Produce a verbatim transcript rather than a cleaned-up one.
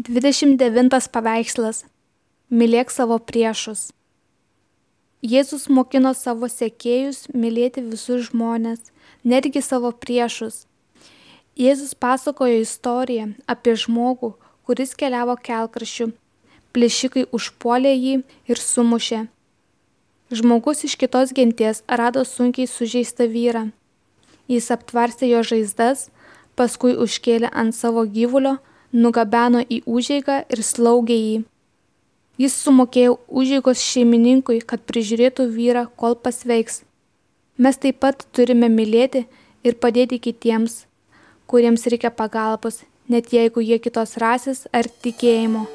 dvidešimt devintas paveikslas. Mylėk savo priešus. Jėzus mokino savo sekėjus mylėti visus žmones, netgi savo priešus. Jėzus pasakojo istoriją apie žmogų, kuris keliavo kelkraščiu. Plėšikai užpuolė jį ir sumušė. Žmogus iš kitos genties rado sunkiai sužeistą vyrą. Jis aptvarstė jo žaizdas, paskui užkėlė ant savo gyvulio, nugabeno į užeigą ir slaugė jį. Jis sumokėjo užeigos šeimininkui, kad prižiūrėtų vyrą, kol pasveiks. Mes taip pat turime mylėti ir padėti kitiems, kuriems reikia pagalbos, net jeigu jie kitos rasės ar tikėjimo.